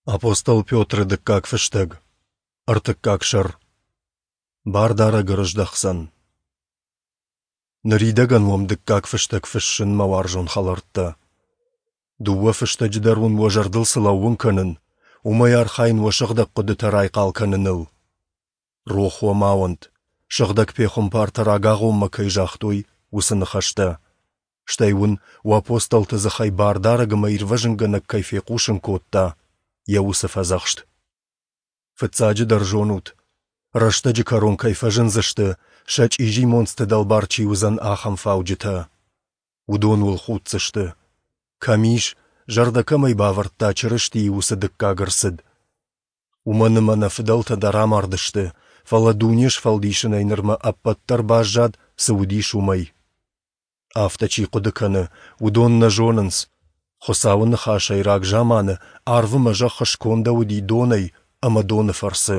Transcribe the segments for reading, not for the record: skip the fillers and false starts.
Апостол Петры дыккаг фыстӕг, ӕртыккаг сӕр. Бардарӕг ӕрыздӕхдзӕн. Ныридӕгӕн уӕм дыккаг фыстӕг фыссын, мӕ уарзон хӕлӕрттӕ. Дыууӕ фыстӕджы дӕр уын уӕ зӕрдыл цы лӕууын кӕнын, уымӕй архайын уӕ сыгъдӕг хъуыдытӕ райхъал кӕныныл. Рох уӕ ма уӕнт, сыгъдӕг пехуымпартӕ рагагъоммӕ кӕй загътой, уыцы ныхӕстӕ. Стӕй уын уӕ апостолты дзыхӕй Бардарӕг ӕмӕ Ирвӕзынгӕнӕг кӕй фехъусын кодта, йӕ уыцы фӕдзӕхст. Фыццаджыдӕр зонут, рӕстӕджы кӕрон кӕй фӕзындзысты, сӕ чъизи монцты дӕлбар чи уыдзӕн, ахӕм фауджытӕ. Уыдон уыл худдзысты. Кӕм ис, зӕрдӕ кӕмӕй бавӕрдта Чырыстийы уыцы дыккаг ӕрцыд? Уымӕн ӕмӕ нӕ фыдӕлтӕ дӕр амардысты, фӕлӕ дуне сфӕлдисынӕй нырмӕ ӕппӕт дӕр баззад, цы уыдис, уымӕй. Афтӕ чи хъуыды кӕны, уыдон нӕ зонынц, Хуыцауы ныхасӕй рагзаманы арв ӕмӕ зӕхх скондӕуыди донӕй ӕмӕ доны фӕрцы.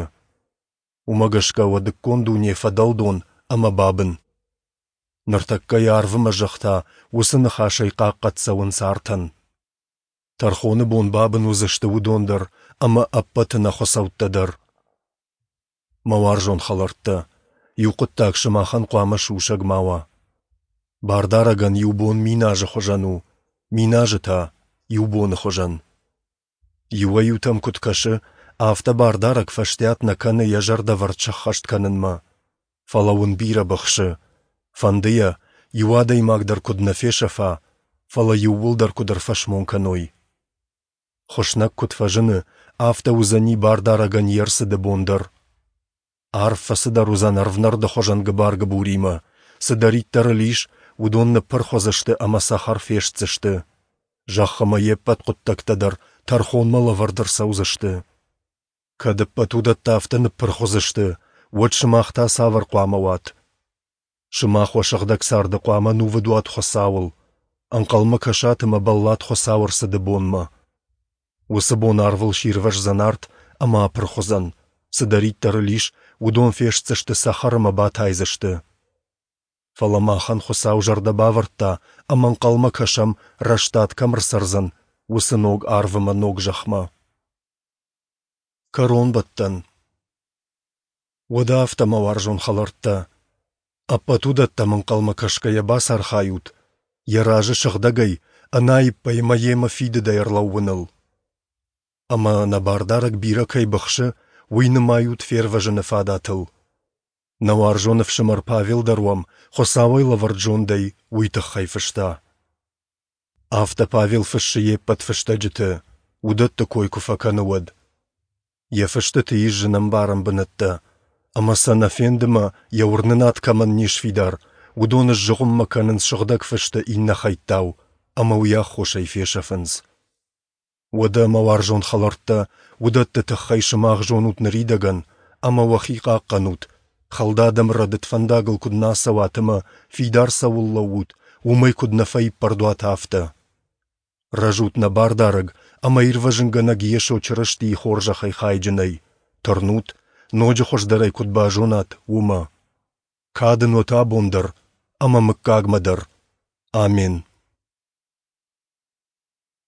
Уымӕ гӕсгӕ уӕдыккон дуне фӕдӕлдон ӕмӕ бабын. Ныртӕккӕ йӕ арв ӕмӕ зӕхх та уыцы ныхасӕй хъахъхъӕд цӕуынц артӕн. Тӕрхоны бон бабын уыдзысты уыдон дӕр ӕмӕ ӕппӕт ӕнӕхуыцӕуттӕ дӕр. Мӕ уарзон хӕлӕрттӕ, иу хъуыддаг сымахӕн хъуамӕ сусӕг ма уа. Бардарӕгӕн иу бон 1000 азы хуызӕн у, 1000 азы та иу боны хуызӕн. Иуӕй-иутӕм куыд кӕсы, афтӕ Бардарӕг фӕстиат нӕ кӕны йӕ зӕрдӕвӕрд сӕххӕст кӕнынмӕ. Фӕлӕ уын бирӕ быхсы. Фӕнды йӕ, иу адӕймаг дӕр куыд нӕ фесӕфа, фӕлӕ иууылдӕр куыд ӕрфӕсмон кӕной. Хуыснӕг куыд фӕзыны, афтӕ уыдзӕни Бардарӕгӕн йе рцыды бон дӕр. Арв фӕцыдӕр уыдзӕн ӕрвнӕрды хуызӕн гыбар-гыбуримӕ, цыдӕриддӕр ыл ис, уыдон ныппырх уыдзысты ӕмӕ цӕхӕр фестдзысты. Зӕхх ӕмӕ йе ппӕт хъуыддӕгтӕ дӕр тӕрхонмӕ лӕвӕрд ӕрцӕудзысты. Кӕд ӕппӕт уыдӕттӕ афтӕ ныппырх уыдзысты, уӕд сымах та цавӕр хъуамӕ уат? Сымах уӕ сыгъдӕг царды хъуамӕ нувыд уат Хуыцауыл, ӕнхъӕлмӕ кӕсат ӕмӕ бӕллат Хуыцауы ӕрцыды бонмӕ. Уыцы бон арвыл сирвӕздзӕн арт ӕмӕ апырх уыдзӕн, цыдӕриддӕр ыл ис, уыдон фестдзысты цӕхӕр ӕмӕ батайдзысты. Фӕлӕ махӕн Хуыцау зӕрдӕ бавӕрдта ӕмӕ ӕнхъӕлмӕ кӕсӕм, рӕстад кӕм ӕрцӕрдзӕн, уыцы ног арв ӕмӕ ног зӕхмӕ. Кӕронбӕттӕн. Уӕдӕ афтӕ, мӕ уарзон хӕлӕрттӕ, ӕппӕт уыдӕттӕм ӕнхъӕлмӕ кӕсгӕйӕ бацархайут, йӕ разы сыгъдӕгӕй, ӕнаиппӕй ӕмӕ йемӕ фидыдӕй ӕрлӕууыныл. Ӕмӕ нӕ Бардарӕг бирӕ кӕй быхсы, уый нымайут фервӕзыны фадатыл. Нӕ уарзон ӕфсымӕр Павел дӕр уӕм Хуыцауӕй лӕвӕрд зондӕй уый тыххӕй фыста. Афтӕ Павел фыссы йе ппӕт фыстӕджыты, уыдӕтты кой куы фӕкӕны, уӕд. Йӕ фыстыты ис зынӕмбарӕн бынӕттӕ, ӕмӕ сӕ нӕ фенды мӕ йӕ уырнынад кӕмӕн не сфидар, уыдон сзыгъуыммӕ кӕнынц сыгъдӕг фысты иннӕ хӕйттау ӕмӕ уый аххосӕй фесӕфынц. Уӕдӕ, мӕ уарзон хӕлӕрттӕ, уыдӕтты тыххӕй сымах зонут ныридӕгӕн ӕмӕ уӕхи хъахъхъӕнут, хӕлд адӕм рӕдыд фӕндагыл куыд нӕ ацӕуат ӕмӕ, фидар цӕуыл лӕуут, уымӕй куыд нӕ фӕиппӕрд уат, афтӕ. Рӕзут нӕ Бардарӕг ӕмӕ Ирвӕзынгӕнӕг Йесо Чырыстийы хорзӕхӕй хайджынӕй, тырнут, ноджы хуыздӕрӕй куыд базонат, уымӕ. Кад ын уӕт абон дӕр ӕмӕ мыггагмӕ дӕр. Амен.